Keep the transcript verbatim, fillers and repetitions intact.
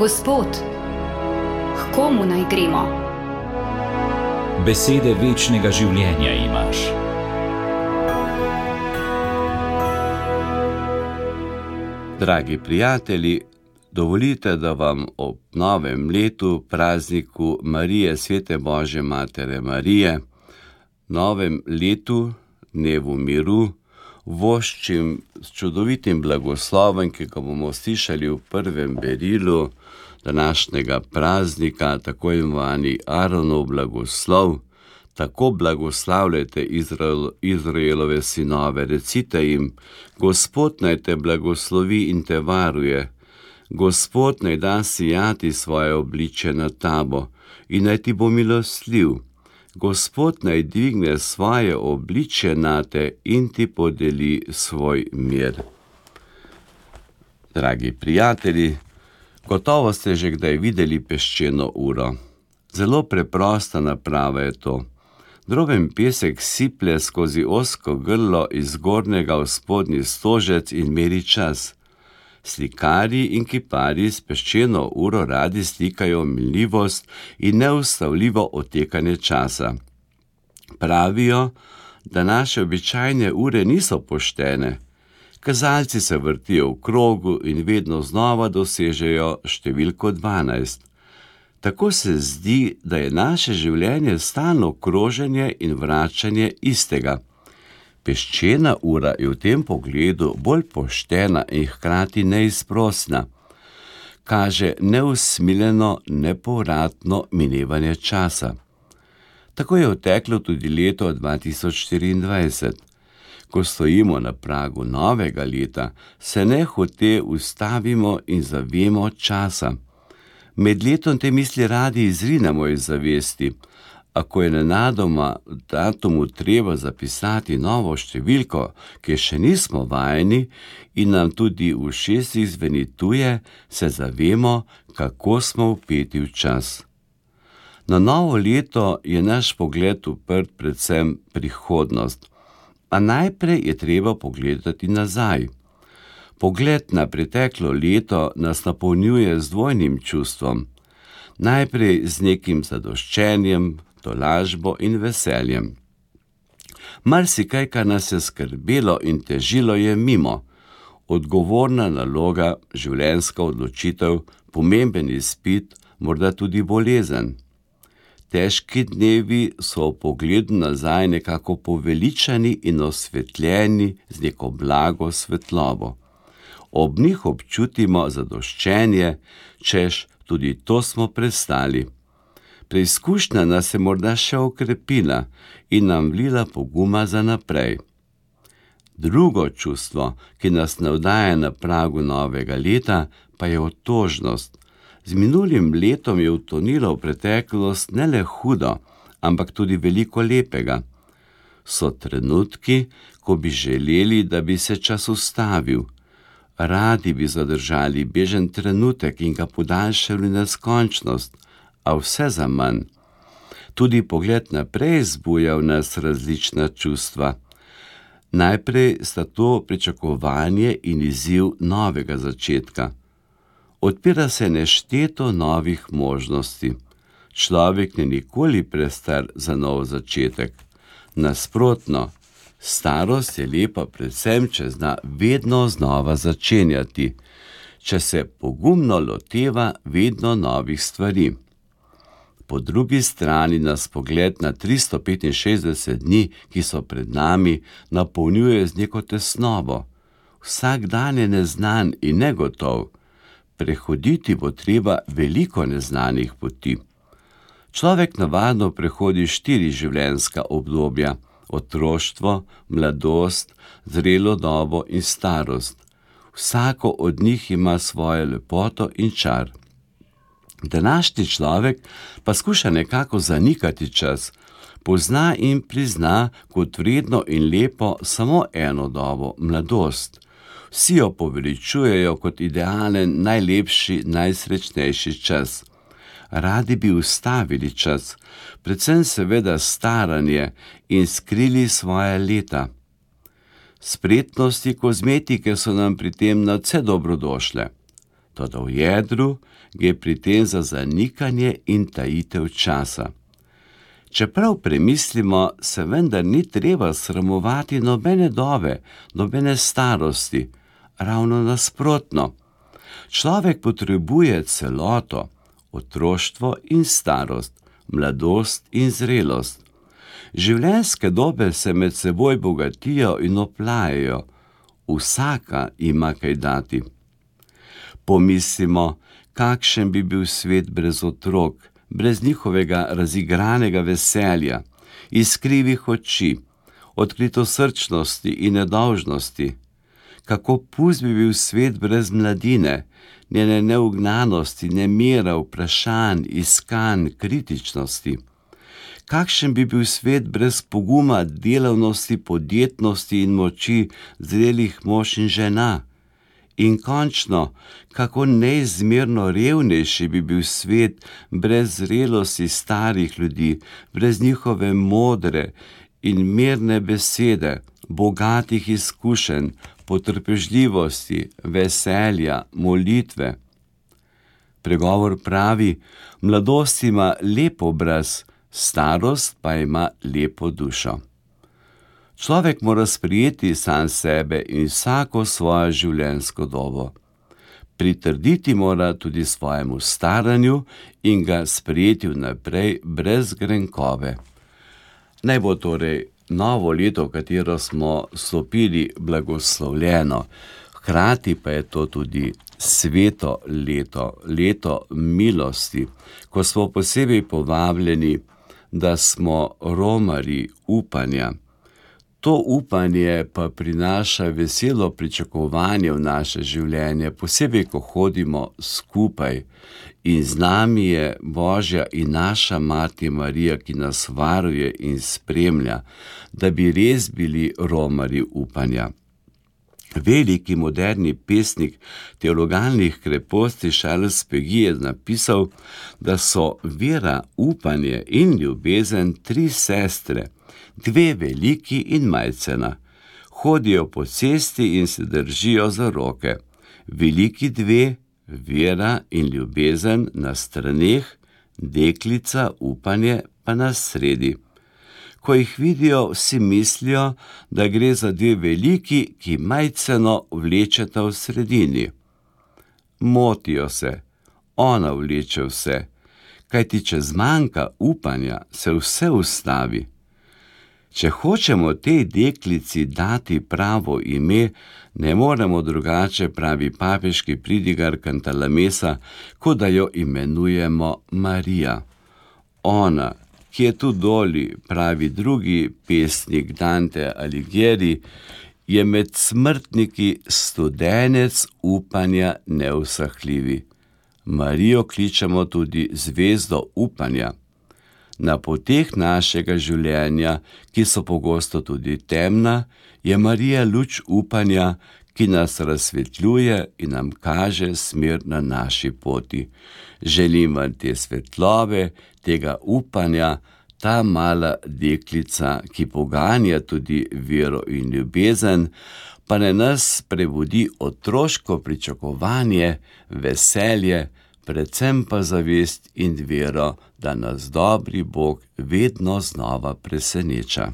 Gospod, k komu naj gremo? Besede večnega življenja imaš. Dragi prijatelji, dovolite, da vam ob novem letu, prazniku Marije, Svete Božje Matere Marije, novem letu, dnevu miru, voščim s čudovitim blagoslovom, ki ga bomo slišali v prvem berilu današnjega praznika, tako imenovani Aaronov blagoslov. Tako blagoslavljajte Izrael, Izraelove sinove, recite jim: Gospod naj te blagoslovi in te varuje, Gospod naj da sijati svoje obličje na tabo in naj ti bo milostljiv, Gospod naj dvigne svoje obličje nate in ti podeli svoj mir. Dragi prijatelji, gotovo ste že kdaj videli peščeno uro. Zelo preprosta naprava je to. Droben pesek siplje skozi ozko grlo iz zgornjega v spodnji stožec in meri čas. Slikarji in kiparji s peščeno uro radi slikajo minljivost in neustavljivo odtekanje časa. Pravijo, da naše običajne ure niso poštene. Kazalci se vrtijo v krogu in vedno znova dosežejo številko dvanajst. Tako se zdi, da je naše življenje stalno kroženje in vračanje istega. Peščena ura je v tem pogledu bolj poštena in hkrati neizprosna. Kaže neusmiljeno, nepovratno minevanje časa. Tako je odteklo tudi leto dva tisoč štiriindvajset. Ko stojimo na pragu novega leta, se nehote ustavimo in zavemo časa. Med letom te misli radi izrinemo iz zavesti, a ko je nenadoma datumu treba zapisati novo številko, ki še nismo vajeni in nam tudi v ušesih zveni tuje, se zavemo, kako smo vpeti v čas. Na novo leto je naš pogled uprt predvsem prihodnost, a najprej je treba pogledati nazaj. Pogled na preteklo leto nas napolnjuje z dvojnim čustvom. Najprej z nekim zadoščenjem, tolažbo in veseljem. Marsikaj, kar nas je skrbelo in težilo, je mimo. Odgovorna naloga, življenjska odločitev, pomemben izpit, morda tudi bolezen. Težki dnevi so v pogledu nazaj nekako poveličani in osvetljeni z neko blago svetlobo. Ob njih občutimo zadoščenje, češ, tudi to smo prestali. Preizkušnja nas je morda še okrepila in nam vlila poguma za naprej. Drugo čustvo, ki nas navdaja na pragu novega leta, pa je otožnost. Z minulim letom je utonilo v preteklost ne le hudo, ampak tudi veliko lepega. So trenutki, ko bi želeli, da bi se čas ustavil. Radi bi zadržali bežen trenutek in ga podaljšali neskončnost, a vse za manj. Tudi pogled naprej zbuja v nas različna čustva. Najprej sta to pričakovanje in izziv novega začetka. Odpira se nešteto novih možnosti. Človek ni nikoli prestar za nov začetek. Nasprotno, starost je lepa predvsem, če zna vedno znova začenjati, če se pogumno loteva vedno novih stvari. Po drugi strani nas pogled na tristo petinšestdeset dni, ki so pred nami, napolnjuje z neko tesnobo. Vsak dan je neznan in negotov. Prehoditi bo treba veliko neznanih poti. Človek navadno prehodi štiri življenjska obdobja: otroštvo, mladost, zrelo dobo in starost. Vsako od njih ima svojo lepoto in čar. Današnji človek pa skuša nekako zanikati čas, pozna in prizna kot vredno in lepo samo eno dobo, mladost. Vsi jo poveličujejo kot idealen, najlepši, najsrečnejši čas. Radi bi ustavili čas, predvsem seveda staranje, in skrili svoje leta. Spretnosti kozmetike so nam pri tem nadvse dobrodošle. toda v jedru gre pri tem za zanikanje in tajitev časa. Čeprav premislimo, se vendar ni treba sramovati nobene dobe, nobene starosti, ravno nasprotno. Človek potrebuje celoto, otroštvo in starost, mladost in zrelost. Življenjske dobe se med seboj bogatijo in oplajajo, vsaka ima kaj dati. Pomislimo, kakšen bi bil svet brez otrok, brez njihovega razigranega veselja, iskrivih oči, odkritosrčnosti in nedolžnosti. Kako pust bi bil svet brez mladine, njene neugnanosti, nemira, vprašanj, iskanj, kritičnosti. Kakšen bi bil svet brez poguma, delavnosti, podjetnosti in moči zrelih mož in žena? In končno, kako neizmerno revnejši bi bil svet brez zrelosti starih ljudi, brez njihove modre in mirne besede, bogatih izkušenj, potrpežljivosti, veselja, molitve. Pregovor pravi, mladost ima lep obraz, starost pa ima lepo dušo. Človek mora sprejeti sam sebe in vsako svojo življenjsko dobo. Pritrditi mora tudi svojemu staranju in ga sprejeti vnaprej brez grenkove. Naj bo torej novo leto, v katero smo stopili, blagoslovljeno, hkrati pa je to tudi sveto leto, leto milosti, ko smo posebej povabljeni, da smo romarji upanja. To upanje pa prinaša veselo pričakovanje v naše življenje, posebej, ko hodimo skupaj. In z nami je Božja in naša Mati Marija, ki nas varuje in spremlja, da bi res bili romarji upanja. Veliki moderni pesnik teologalnih kreposti Charles Péguy je napisal, da so vera, upanje in ljubezen tri sestre, dve veliki in majcena. Hodijo po cesti in se držijo za roke. Veliki dve, vera in ljubezen na straneh, deklica, upanje pa na sredi. Ko jih vidijo, vsi mislijo, da gre za dve veliki, ki majceno vlečeta v sredini. Motijo se, ona vleče vse, kajti če zmanjka upanja, se vse ustavi. Če hočemo tej deklici dati pravo ime, ne moremo drugače, pravi papeški pridigar Cantalamessa, kot da jo imenujemo Marija. Ona, ki je tu doli, pravi drugi pesnik Dante Alighieri, je med smrtniki studenec upanja neusahljivi. Marijo kličemo tudi zvezdo upanja. Na poteh našega življenja, ki so pogosto tudi temna, je Marija luč upanja, ki nas razsvetljuje in nam kaže smer na naši poti. Želim vam te svetlobe, tega upanja, ta mala deklica, ki poganja tudi vero in ljubezen, pa ne nas prebudi otroško pričakovanje, veselje, predvsem pa zavest in vero, da nas dobri Bog vedno znova preseneča.